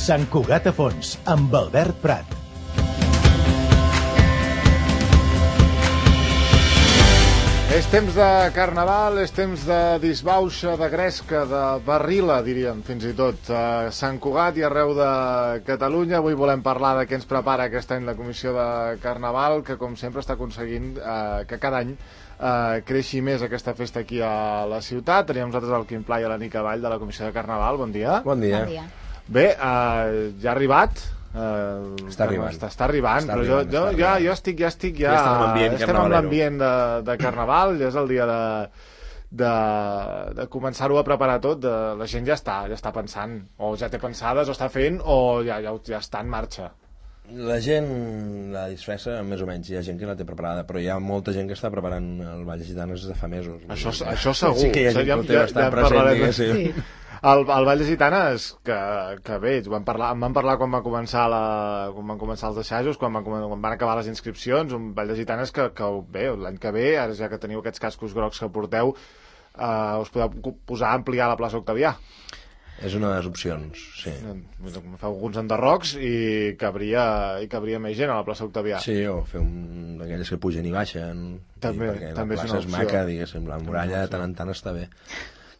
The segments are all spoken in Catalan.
Sant Cugat a Fons, amb Albert Prat. És temps de carnaval, és temps de disbauxa, de gresca, de barrila, diríem, fins i tot. A Sant Cugat i arreu de Catalunya. Avui volem parlar de què ens prepara aquest any la Comissió de Carnaval, que com sempre està aconseguint que cada any creixi més aquesta festa aquí a la ciutat. Tenim nosaltres el Quim Pla i la Nica Vall de la Comissió de Carnaval. Bon dia. Bon dia. Bon dia. Bé, ja ha arribat. Està arribant, però jo estic estem en l'ambient de Carnaval, ja és el dia de començar-ho a preparar tot. La gent ja està pensant, o ja té pensades, o està fent, o ja està en marxa. La gent la disfressa més o menys, hi ha gent que la té preparada, però hi ha molta gent que està preparant el Ball de Gitanes des de fa mesos. Això segur. Sí que hi ha gent que ho té bastant present, diguéssim. Sí. El Ball de Gitanes, que bé, en van parlar quan van començar els assajos, quan van acabar les inscripcions. Un Ball de Gitanes que bé, l'any que ve, ara ja que teniu aquests cascos grocs que porteu, us podeu posar a ampliar la plaça Octavià. És una de les opcions, sí. Feu alguns enderrocs i cabria més gent a la plaça Octavià. Sí, o fer un d'aquelles que pugen i baixen. També la plaça és maca, diguéssim, la muralla de tant en tant està bé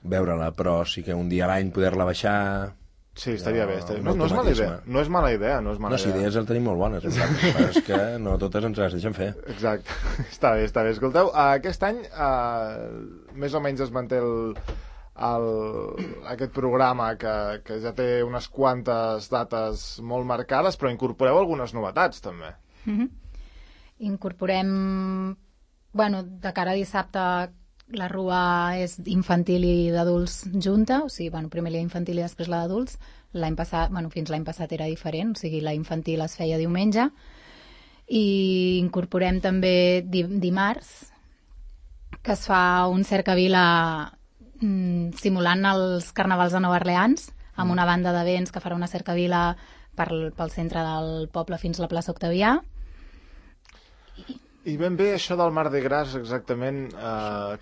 veure-la, però sí que un dia a l'any poder-la baixar... Sí, estaria bé. No és mala idea. No és mala idea. No, si idees el tenim molt bones, però és que no totes ens les deixen fer. Exacte. Està bé. Escolteu, aquest any més o menys es manté aquest programa que ja té unes quantes dates molt marcades, però incorporeu algunes novetats també. Incorporem, de cara a dissabte, la rua és infantil i d'adults junta, o sigui, primer la infantil i després la d'adults. L'any passat, fins l'any passat era diferent, o sigui, la infantil es feia diumenge, i incorporem també dimarts, que es fa un cercavila simulant els carnavals de Nova Orleans, amb una banda de vents que farà una cercavila pel centre del poble fins a la plaça Octavià. I ben bé això del Mardi Gras, exactament,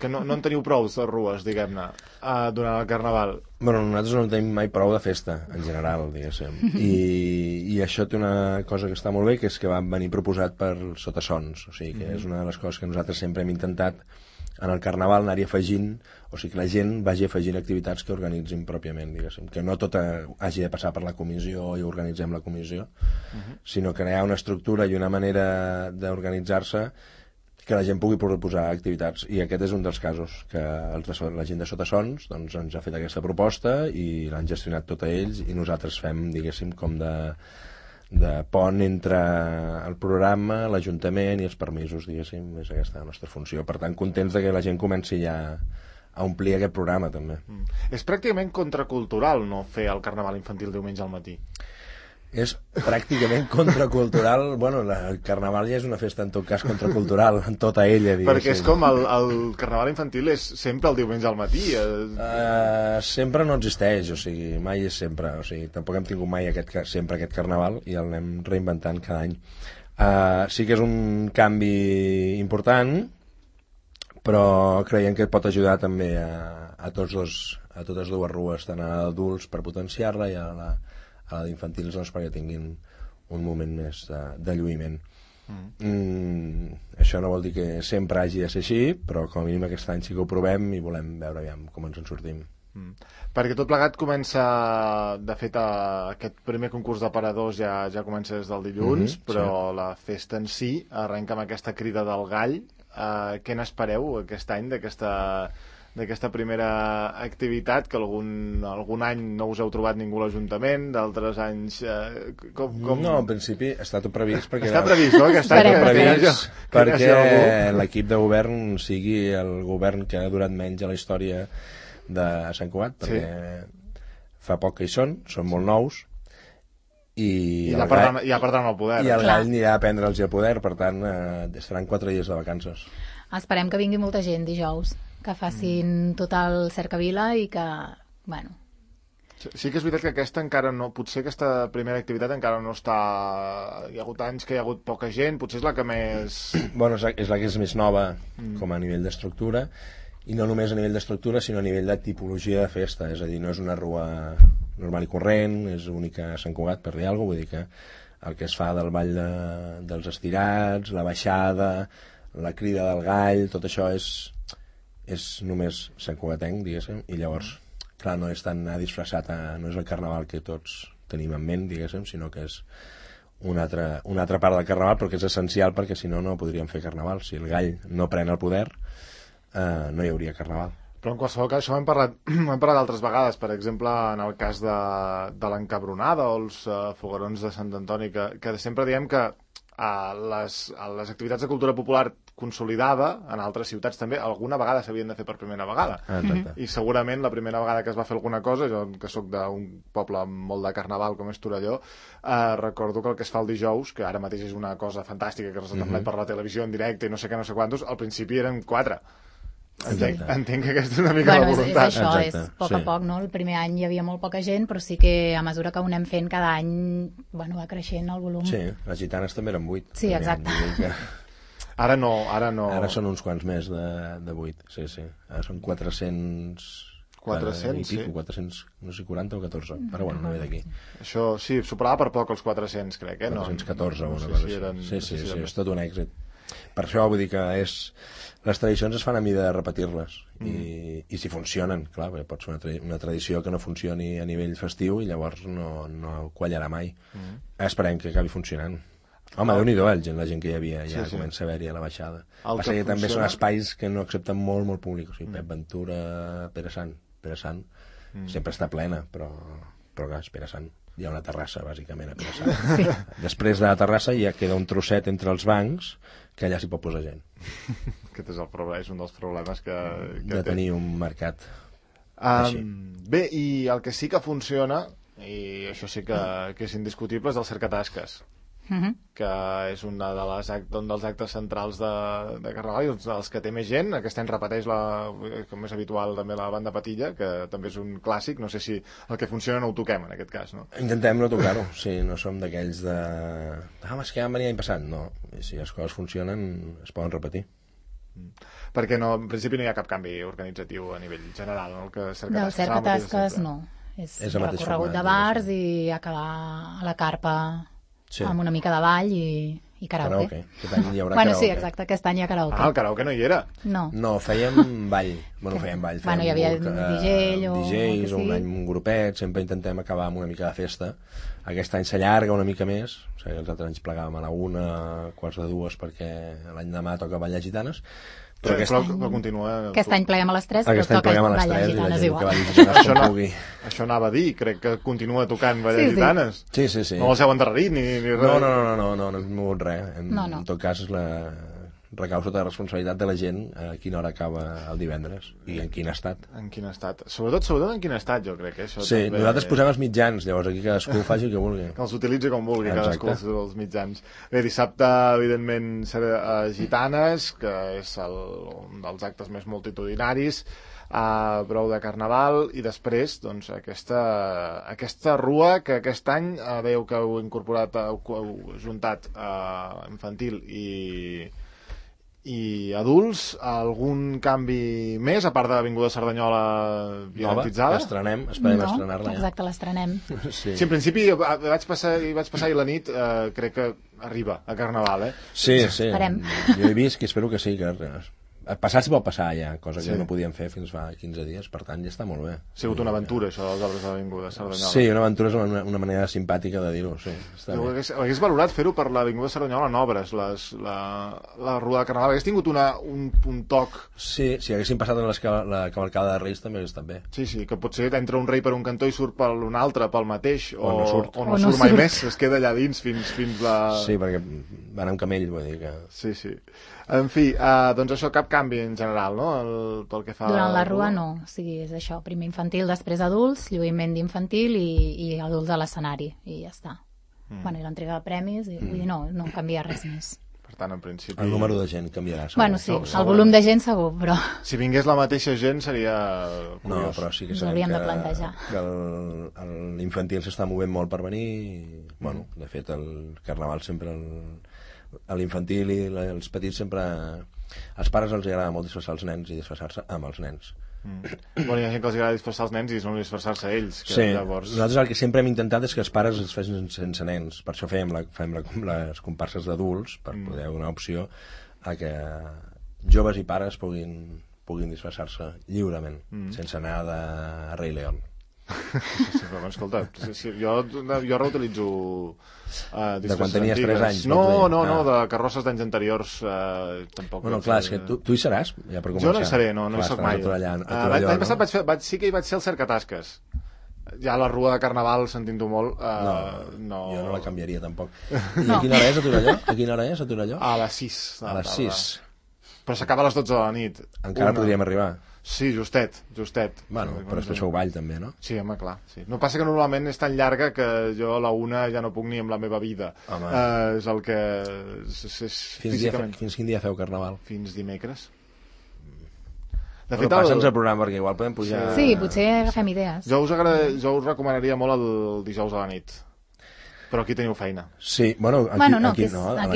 que no en teniu prou de rues, diguem-ne, durant el Carnaval. Bueno, nosaltres no tenim mai prou de festa, en general, diguéssim. I això té una cosa que està molt bé, que és que va venir proposat per Sotassons. O sigui, que és una de les coses que nosaltres sempre hem intentat en el Carnaval anar-hi afegint, o sigui que la gent vagi afegint activitats que organitzin pròpiament, diguéssim, que no tot hagi de passar per la comissió i organitzem la comissió, sinó que hi ha una estructura i una manera d'organitzar-se que la gent pugui proposar activitats, i aquest és un dels casos, que la gent de Sotassons doncs, ens ha fet aquesta proposta i l'han gestionat tota ells, i nosaltres fem, diguéssim, com de pont entre el programa, l'Ajuntament i els permisos, diguéssim, és aquesta la nostra funció. Per tant, contents que la gent comenci ja a omplir aquest programa, també. És pràcticament contracultural no fer el Carnaval infantil diumenge al matí. És pràcticament contracultural. Bueno, el Carnaval ja és una festa, en tot cas, contracultural, en tota ella, diguéssim. Perquè és com el Carnaval infantil és sempre el diumenge al matí. Sempre no existeix, o sigui, mai és sempre. O sigui, tampoc hem tingut mai sempre aquest Carnaval i el anem reinventant cada any. Sí que és un canvi important, però creiem que pot ajudar també a totes dues rues, tant a adults per potenciar-la i a la d'infantils, doncs, perquè tinguin un moment més de lluïment. Això no vol dir que sempre hagi de ser així, però com a mínim aquest any sí que ho provem i volem veure com ens en sortim. Perquè tot plegat comença, de fet, aquest primer concurs d'aparadors ja comença des del dilluns, però la festa en si arrenca amb aquesta crida del gall. Què n'espereu aquest any d'aquesta primera activitat, que algun any no us heu trobat ningú a l'Ajuntament, d'altres anys... No, en principi està tot previst. Està previst, no? Està tot previst perquè l'equip de govern sigui el govern que ha durat menys a la història de Sant Cugat, perquè fa poc que hi són molt nous, i ja perdran el poder. I el gall anirà a prendre'ls el poder, per tant, estaran 4 dies de vacances. Esperem que vingui molta gent dijous, que facin tot el cercavila i que, Sí que és veritat que aquesta encara no... Potser aquesta primera activitat encara no està... Hi ha hagut anys que hi ha hagut poca gent, potser és la que més... Bueno, és la que és més nova com a nivell d'estructura, i no només a nivell d'estructura sinó a nivell de tipologia de festa, és a dir, no és una rua normal i corrent, és única a Sant Cugat, per dir alguna cosa, vull dir que el que es fa del ball dels estirats, la baixada, la crida del gall, tot això és només Sant Cugatenc, diguéssim, i llavors, clar, no és tan disfressat, no és el carnaval que tots tenim en ment, diguéssim, sinó que és una altra part del carnaval, però que és essencial perquè si no, no podríem fer carnaval. Si el gall no pren el poder, no hi hauria carnaval. Però en qualsevol cas, això ho hem parlat altres vegades, per exemple, en el cas de l'encabronada o els foguerons de Sant Antoni, que sempre diem que les activitats de cultura popular consolidada, en altres ciutats també, alguna vegada s'havien de fer per primera vegada. I segurament la primera vegada que es va fer alguna cosa, jo que sóc d'un poble amb molt de carnaval com és Torelló, recordo que el que es fa el dijous, que ara mateix és una cosa fantàstica, que es retransmet per la televisió en directe i no sé què, no sé quantos, al principi eren 4. Entenc que aquesta és una mica la voluntat. És això, és a poc a poc, no? El primer any hi havia molt poca gent, però sí que a mesura que ho anem fent cada any, bueno, va creixent el volum. Sí, les gitanes també eren 8. Sí, exacte. Ara no. Ara són uns quants més de 8, sí. Ara són 400... 400, sí. 400, no sé, 40 o 14, però bueno, no ve d'aquí. Això, sí, superava per poc els 400, crec, 414 o una cosa així. Sí, és tot un èxit. Per això vull dir que les tradicions es fan a mida de repetir-les i si funcionen, clar, perquè pot ser una tradició que no funcioni a nivell festiu i llavors no quallarà mai. Esperem que acabi funcionant. Home, Déu-n'hi-do, la gent que hi havia ja comença a haver-hi a la baixada. Passa que també són espais que no accepten molt públic, o sigui, Pep Ventura, Pere Sant sempre està plena, però clar, és Pere Sant. Hi ha una terrassa, bàsicament, a Pere Sant. Després de la terrassa ja queda un trosset entre els bancs que allà s'hi pot posar gent. Aquest és el problema, és un dels problemes que de tenir un mercat així. Bé, i el que sí que funciona, i això sí que és indiscutible, és el cercatasques, que és un dels actes centrals de Carnaval i un dels que té més gent. Aquest any repeteix, com és habitual, també la banda Patilla, que també és un clàssic. No sé si el que funciona no ho toquem, en aquest cas, no? Intentem no tocar-ho, sí, no som d'aquells de... és que ja em venia l'any passat. No, si les coses funcionen es poden repetir. Perquè en principi no hi ha cap canvi organitzatiu a nivell general, no? Del cercatasques no. És recorregut de bars i acabar a la carpa amb una mica de ball i karaoke. Aquest any hi haurà karaoke. Sí, exacte, aquest any hi ha karaoke. El karaoke no hi era? No, fèiem ball. Fèiem ball. Hi havia DJ o... DJs o un grupet, sempre intentem acabar amb una mica de festa. Aquest any s'allarga una mica més, o sigui, els altres anys plegàvem a la 1, quarts de 2, perquè l'any demà toca ballar gitanes, però continua... Aquest any pleguem a les 3, però toca ballar gitanes igual. Això anava a dir, crec que continua tocant ballar gitanes. Sí. No els heu endarrerit ni res. No hem mogut res. En tot cas, recau sota la responsabilitat de la gent a quina hora acaba el divendres i en quin estat. En quin estat. Sobretot en quin estat, jo crec. Això sí, també... nosaltres posem els mitjans, llavors aquí cadascú faci el que vulgui. Que els utilitzi com vulgui, cadascú els mitjans. Bé, dissabte, evidentment, serà Gitanes, que és un dels actes més multitudinaris, prou de Carnaval, i després, doncs, aquesta rua que aquest any veieu que heu incorporat, heu juntat infantil i adults, algun canvi més, a part de l'Avinguda Cerdanyola violentitzada? Esperem estrenar-la ja. Exacte, l'estrenem. Sí, en principi vaig passar i la nit crec que arriba a Carnaval, Sí. Esperem. Jo he vist que espero que sí, que passar s'hi pot passar ja, cosa que no podíem fer fins fa 15 dies, per tant ja està molt bé. Ha sigut una aventura, això dels arbres de l'Avinguda Cerdanyola. Sí, una aventura és una manera simpàtica de dir-ho, sí. Hagués valorat fer-ho per l'Avinguda Cerdanyola en obres, la Rua de Carnaval. Hagués tingut un toc... Sí, si haguessin passat en la cavalcada de Reis també hagués estat bé. Sí, que potser entra un rei per un cantó i surt per un altre, pel mateix, o no surt mai més, es queda allà dins fins la... Sí, perquè van amb camell, vull dir que... Sí. En fi, doncs això, cap canvi en general, no? Pel que fa... Durant la rua no, o sigui, és això, primer infantil, després adults, lluïment d'infantil i adults a l'escenari, i ja està. Bueno, i l'entrega de premis, i vull dir, no canvia res més. Per tant, en principi... El número de gent canviarà, segur. Bueno, sí, el volum de gent segur, però... Si vingués la mateixa gent seria curiós. No, però sí que sabem de plantejar. Que l'infantil s'està movent molt per venir, i, bueno, de fet, el Carnaval sempre... A l'infantil i els petits sempre Als pares els agrada molt disfressar els nens i disfressar-se amb els nens. Bueno, hi ha gent que els agrada disfressar els nens i no disfressar-se ells. Que Sí, llavors... nosaltres el que sempre hem intentat és que els pares es facin sense nens. Per això fem les comparses d'adults, per poder donar opció a que joves i pares puguin disfressar-se lliurement, sense anar de Rei León. Sí, però escolta, jo reutilitzo de quan tenies 3 anys. No, de carrosses d'anys anteriors tampoc. Bueno, clar, és que tu hi seràs, ja per començar. Jo no hi seré, no hi soc mai. L'any passat sí que hi vaig ser al cercatasques. Ja la rua de Carnaval, sentint-ho molt, no. Jo no la canviaria tampoc. I a quina hora és a Torelló? A les 6. A les 6. Però s'acaba a les 12 de la nit. Encara podríem arribar. Sí, justet. Bueno, però després feu ball també, no? Sí, home, clar. Sí. No passa que normalment és tan llarga que jo a la 1 ja no puc ni amb la meva vida. És el que... Fins quin dia feu Carnaval? Fins dimecres. De fet, passa'ns el programa, perquè igual podem pujar... Sí, potser agafem idees. Jo us recomanaria molt el dijous a la nit. Però aquí teniu feina. Sí, bueno, aquí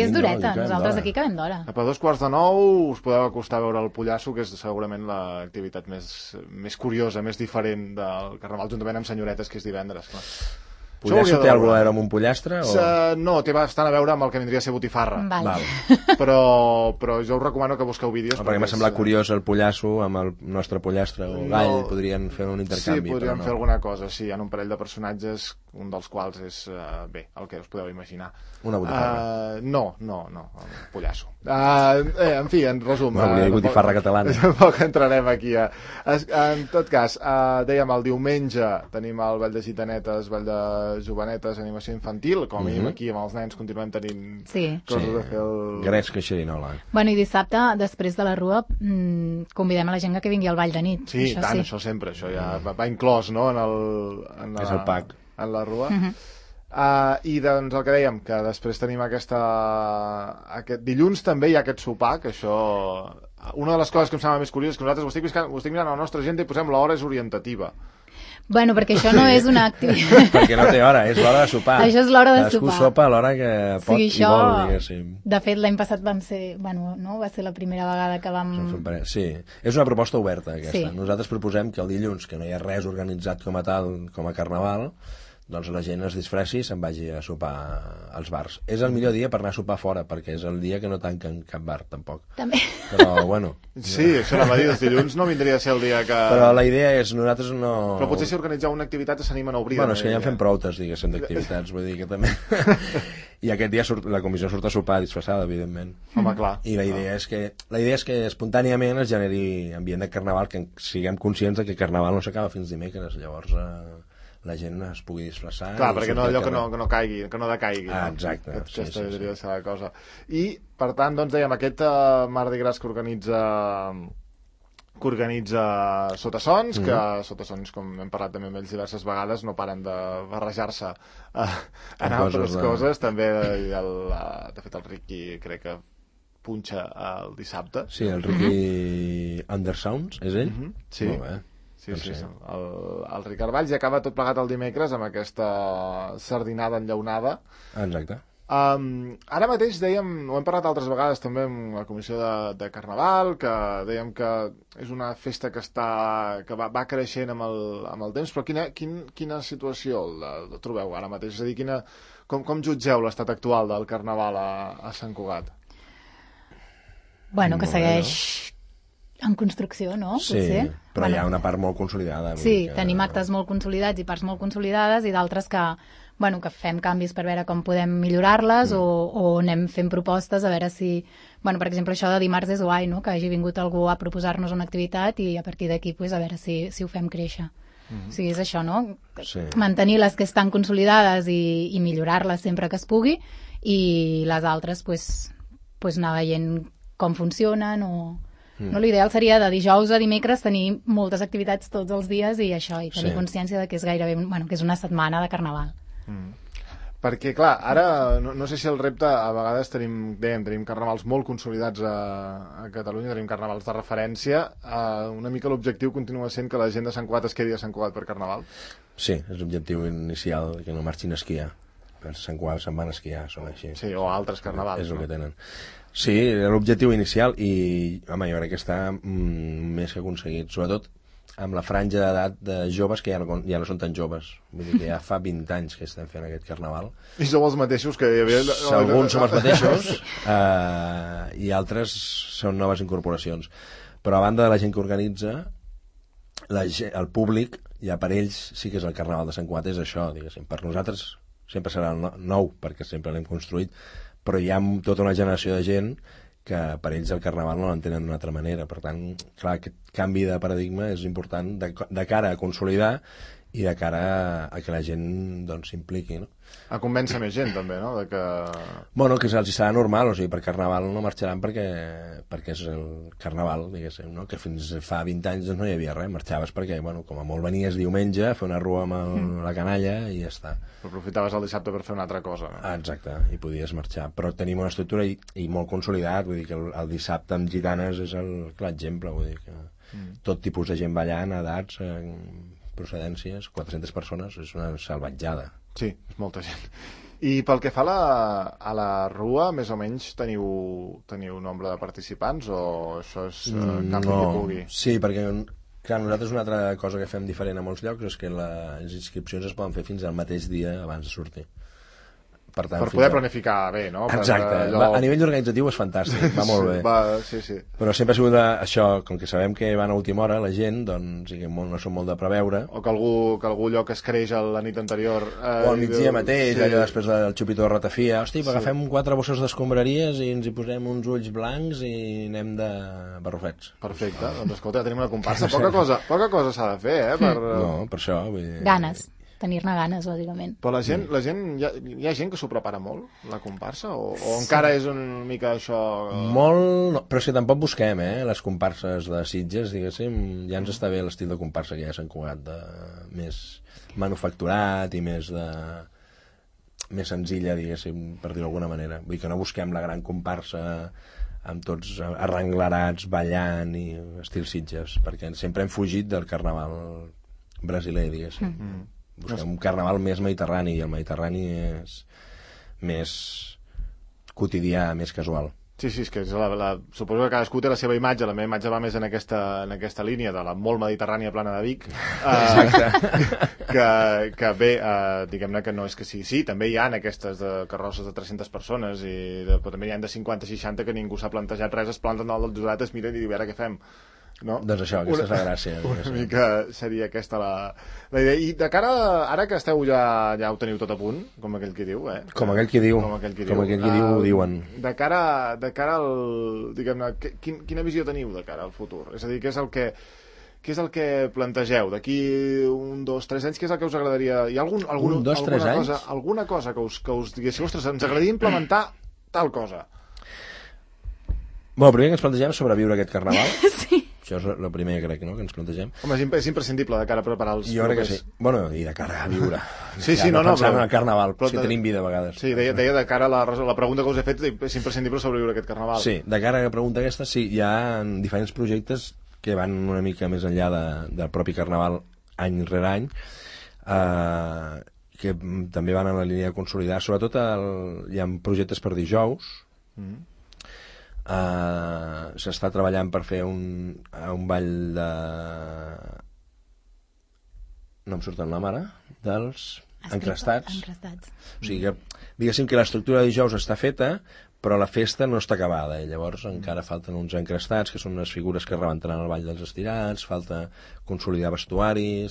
és dureta, nosaltres aquí acabem d'hora. A 8:45 us podeu acostar a veure el Pollasso, que és segurament l'activitat més curiosa, més diferent del Carnaval, juntament amb Senyoretes, que és divendres, clar. Pollasso té alguna cosa amb un pollastre? No, té bastant a veure amb el que vindria a ser botifarra. Val. Però jo us recomano que busqueu vídeos. Perquè m'ha semblat curiós el Pollasso amb el nostre pollastre o gall, podrien fer un intercanvi. Sí, podríem fer alguna cosa, sí, hi ha un parell de personatges, un dels quals és, el que us podeu imaginar. Una botifarra? No, el Pollasso. En fi, en resum... Una botifarra catalana. Tampoc entrarem aquí. En tot cas, dèiem, el diumenge tenim el Ball de Gitanetes, Ball de Jovenetes, animació infantil, com a mínim aquí amb els nens continuem tenint coses a fer Gresca i xerinola. Bueno, i dissabte, després de la rua, convidem a la gent que vingui al ball de nit. Sí, tant, això sempre, això ja va inclòs, no?, és el pack. En la rua. I doncs el que dèiem, que després tenim aquest dilluns també hi ha aquest sopar, que això... Una de les coses que em sembla més curiós és que nosaltres ho estic mirant a la nostra agenda i posem l'hora és orientativa. Bueno, perquè això no és una activitat... Perquè no té hora, és l'hora de sopar. Això és l'hora de sopar. Cadascú sopa a l'hora que pot i vol, diguéssim. De fet, l'any passat vam ser... Bueno, no? Va ser la primera vegada que vam... Sí, és una proposta oberta, aquesta. Sí. Nosaltres proposem que el dilluns, que no hi ha res organitzat com a tal, com a Carnaval, doncs la gent es disfressi i se'n vagi a sopar als bars. És el millor dia per anar a sopar fora, perquè és el dia que no tanquen cap bar, tampoc. També. Però, bueno... Sí, això anava a dir, els dilluns no vindria a ser el dia que... Però la idea és, nosaltres no... Però potser si organitzeu una activitat s'animen a obrir. Bueno, és que ja en fem proutes, diguéssim, d'activitats, vull dir que també... I aquest dia la comissió surt a sopar disfressada, evidentment. Home, clar. I la idea és que espontàniament es generi ambient de Carnaval, que siguem conscients que Carnaval no s'acaba fins dimecres, llavors... la gent es pugui disfressar. Clar, perquè no allò que no caigui, que no decaigui. Exacte. Aquesta hauria de ser la cosa. I, per tant, doncs dèiem, aquest Mardi Gras que organitza Sotassons, que Sotassons, com hem parlat també amb ells diverses vegades, no paren de barrejar-se en altres coses. També, de fet, el Ricky crec que punxa el dissabte. Sí, el Ricky Undersounds, és ell? Sí. Molt bé. Sí. El Ricard Valls, i acaba tot plegat el dimecres amb aquesta sardinada enllaunada. Exacte. Ara mateix dèiem, ho hem parlat altres vegades també amb la comissió de Carnaval, que dèiem que és una festa que va creixent amb el temps, però quina situació la trobeu ara mateix? És a dir, com jutgeu l'estat actual del Carnaval a Sant Cugat? Bueno, que segueix... en construcció, no? Sí, potser. Però hi ha una part molt consolidada. Sí, tenim actes molt consolidats i parts molt consolidades i d'altres que fem canvis per veure com podem millorar-les o anem fent propostes a veure si... Bueno, per exemple, això de dimarts és guai, no? Que hagi vingut algú a proposar-nos una activitat i a partir d'aquí a veure si ho fem créixer. O sigui, és això, no? Sí. Mantenir les que estan consolidades i millorar-les sempre que es pugui i les altres anar veient com funcionen o... No, l'ideal seria de dijous a dimecres tenir moltes activitats tots els dies i això, i tenir consciència de que és gairebé, que és una setmana de Carnaval. Perquè, clar, ara no sé si el repte, a vegades tenim carnavals molt consolidats a Catalunya, tenim carnavals de referència, una mica l'objectiu continua sent que la gent de Sant Cugat es quedi a Sant Cugat per Carnaval? Sí, és l'objectiu inicial, que no marxin a esquiar. Per Sant Cugat se'n van a esquiar, són així. Sí, o altres carnavals. És el que tenen. Sí, era l'objectiu inicial i, home, jo crec que està més que aconseguit, sobretot amb la franja d'edat de joves que ja no són tan joves. Vull dir que ja fa 20 anys que estem fent aquest carnaval. I sou els mateixos que hi havia... Alguns som els mateixos i altres són noves incorporacions. Però a banda de la gent que organitza, el públic, ja per ells sí que és el carnaval de Sant Cugat, és això, diguéssim. Per nosaltres sempre serà el nou, perquè sempre l'hem construït, però hi ha tota una generació de gent que per ells el carnaval no l'entenen d'una altra manera. Per tant, clar, aquest canvi de paradigma és important de cara a consolidar i de cara a que la gent doncs s'impliqui, no? A convèncer més gent, també, no? De que... Bueno, que els serà normal, o sigui, per carnaval no marxaran perquè és el carnaval, diguéssim, no? Que fins fa 20 anys doncs, no hi havia res, marxaves perquè, bueno, com a molt venies diumenge a fer una rua amb la canalla i ja està. Però aprofitaves el dissabte per fer una altra cosa, no? Exacte, i podies marxar. Però tenim una estructura i molt consolidat, vull dir que el dissabte amb gitanes és el clar exemple, vull dir que tot tipus de gent ballant, edats, procedències, 400 persones, és una salvatjada. Sí, és molta gent. I pel que fa a la rua, més o menys teniu nombre de participants o això és cap que pugui? Sí, perquè clar, nosaltres una altra cosa que fem diferent a molts llocs és que les inscripcions es poden fer fins al mateix dia abans de sortir. Per poder planificar bé, no? Exacte, a nivell organitzatiu és fantàstic, va molt bé. Sí. Però sempre ha sigut això, com que sabem que van a última hora la gent, doncs no som molt de preveure. O que algú lloc es creix la nit anterior. O al migdia mateix, allò després del xupito de ratafia. Hosti, agafem 4 bosses d'escombraries i ens hi posem uns ulls blancs i anem de barrufets. Perfecte, doncs escolta, tenim una comparsa. Poca cosa s'ha de fer, No, per això. Vull dir... Ganes. Tenir-ne ganes, bàsicament. Però la gent hi ha gent que s'ho prepara molt, la comparsa? O encara és una mica això... Molt, no, però és que tampoc busquem, les comparses de Sitges, diguéssim, ja ens està bé l'estil de comparsa que ja s'han cugat, més manufacturat i més senzilla, diguéssim, per dir-ho d'alguna manera. Vull dir que no busquem la gran comparsa amb tots arrenglerats, ballant i estil Sitges, perquè sempre hem fugit del carnaval brasiler, diguéssim. Busquem un carnaval més mediterrani i el mediterrani és més quotidià, més casual. Sí, és que suposo que cadascú té la seva imatge. La meva imatge va més en aquesta línia de la molt mediterrània plana de Vic. Que bé, diguem-ne que no és que sí, també hi ha aquestes carrosses de 300 persones però també hi ha de 50-60 que ningú s'ha plantejat res, es planten al jurat, es miren i diuen, ara què fem? No? Doncs això, aquesta és la gràcia. Una mica seria aquesta la idea. I de cara, ara que esteu ja ho teniu tot a punt, com aquell qui diu, Com aquell qui diu, ho diuen. De cara al... Diguem-ne, quina visió teniu de cara al futur? És a dir, què és el que plantegeu? D'aquí 1, 2, 3 anys, què és el que us agradaria? Hi ha alguna cosa que us diguéssiu, ostres, ens agradaria implementar tal cosa? Bueno, el primer que ens plantegem és sobreviure aquest carnaval. Sí. Això és el primer, crec, no?, que ens plantegem. Home, és imprescindible de cara a preparar els... Jo crec que sí. Bueno, i de cara a viure. Sí, no, pensant en el carnaval, però si tenim vida a vegades. Sí, deia de cara a la pregunta que us he fet, és imprescindible sobreviure aquest carnaval. Sí, de cara a la pregunta aquesta, sí, hi ha diferents projectes que van una mica més enllà del propi carnaval any rere any, que també van en la línia de consolidar. Sobretot hi ha projectes per dijous, s'està treballant per fer un ball de... no em surt el nom ara, dels encrestats. O sigui que, diguéssim que l'estructura de dijous està feta, però la festa no està acabada, i llavors encara falten uns encrestats, que són unes figures que rebentaran el ball dels estirats, falta consolidar vestuari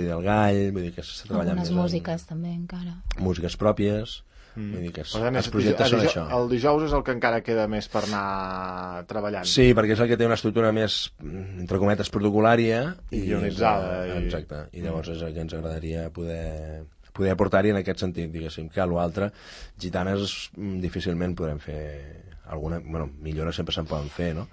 del gall, vull dir que s'està treballant algunes músiques també encara. Músiques pròpies. Vull dir que els projectes són això. El dijous és el que encara queda més per anar treballant. Sí, perquè és el que té una estructura més, entre cometes, protocolària i guionitzada. Exacte, i llavors és el que ens agradaria poder aportar-hi en aquest sentit, diguéssim, que a l'altre, gitanes difícilment podrem fer alguna... Bueno, millores sempre se'n poden fer, no?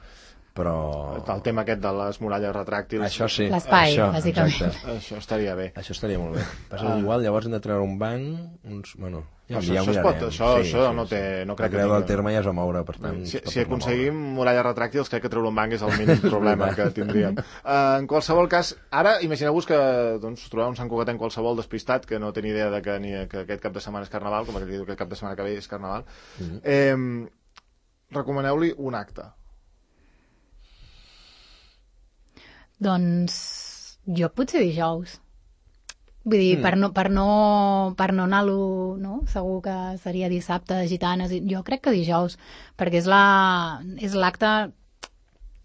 Però... El tema aquest de les muralles retràctils... Això sí. L'espai, bàsicament. Això estaria bé. Això estaria molt bé. Passa igual, llavors hem de treure un banc, bueno... Això no crec que... El terme ja es va moure, per tant... Si aconseguim muralles retràctils, crec que treure un banc és el mínim problema que tindríem. En qualsevol cas, ara imagineu-vos que trobeu un Sant Cugatenc qualsevol despistat que no té ni idea que aquest cap de setmana és Carnaval, com aquell que diu que el cap de setmana que ve és Carnaval. recomaneu-li un acte. Doncs jo potser dijous. Vull dir, per no anar-lo, no? Segur que seria dissabte de gitanes. Jo crec que dijous, perquè és l'acte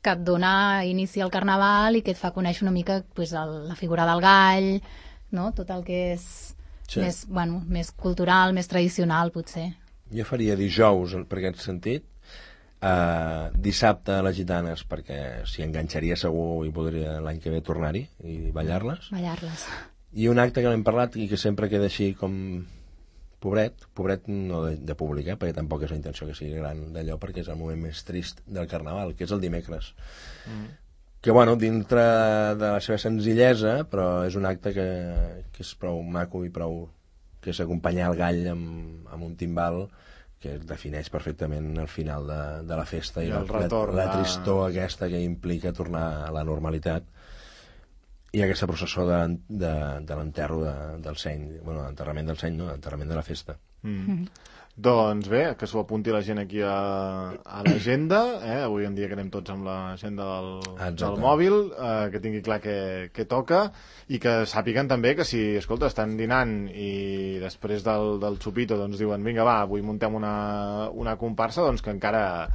que et dona inici al Carnaval i que et fa conèixer una mica pues, la figura del gall, no? Tot el que és més cultural, més tradicional, potser. Jo faria dijous, per aquest sentit, dissabte a les gitanes, perquè s'hi enganxaria segur i podria l'any que ve tornar-hi i ballar-les. I un acte que n'hem parlat i que sempre queda així com pobret no de públic, perquè tampoc és la intenció que sigui gran d'allò, perquè és el moment més trist del Carnaval, que és el dimecres. Que, bueno, dintre de la seva senzillesa, però és un acte que és prou maco i prou... que és acompanyar el gall amb un timbal que defineix perfectament el final de la festa i la tristor aquesta que implica tornar a la normalitat. I aquesta processó de l'enterro del seny, bueno, l'enterrament del seny, no, l'enterrament de la festa. Doncs bé, que s'ho apunti la gent aquí a l'agenda, avui en dia que anem tots amb l'agenda del mòbil, que tingui clar què toca, i que sàpiguen també que si, escolta, estan dinant i després del xupito doncs diuen, vinga va, avui muntem una comparsa, doncs que encara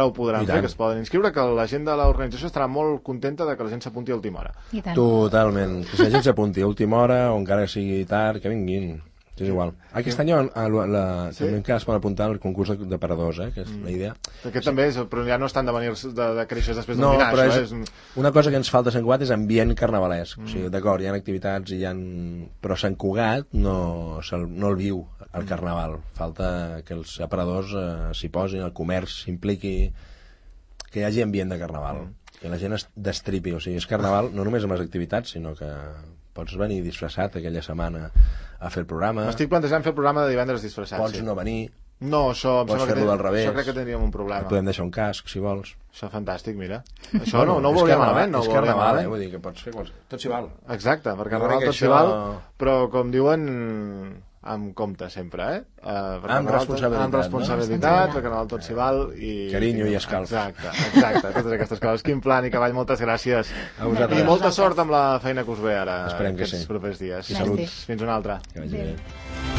ho podran fer, que es poden inscriure, que la gent de l'organització estarà molt contenta de que la gent s'apunti a última hora. Totalment, que la gent s'apunti a última hora o encara sigui tard, que vinguin. És igual. Aquest any també encara es pot apuntar al concurs de paradors, que és la idea. Aquest també és, però ja no estan de venir de créixer després d'un dinar. No, però una cosa que ens falta a Sant Cugat és ambient carnavalesc. O sigui, d'acord, hi ha activitats, però Sant Cugat no el viu, el Carnaval. Falta que els aparadors s'hi posin, el comerç s'impliqui, que hi hagi ambient de Carnaval, que la gent es destripi. O sigui, és Carnaval no només amb les activitats, sinó que pots venir disfressat aquella setmana a fer el programa. M'estic plantejant fer el programa de divendres disfressat. Pots no venir. No, això em pots fer-lo del revés. Això crec que tindríem un problema. Et podem deixar un casc, si vols. Això fantàstic, mira. Això no ho veuria malament. És Carnaval, vull dir que pots fer tot s'hi val. Exacte, per Carnaval tot s'hi val, però com diuen, amb compte sempre, amb responsabilitat, perquè Carnaval tot s'hi val. Carinyo i escalf. Exacte, totes aquestes coses. Quin plan i Cavall, moltes gràcies. I molta sort amb la feina que us ve ara aquests propers dies. I salut. Fins una altra. Que vagi bé.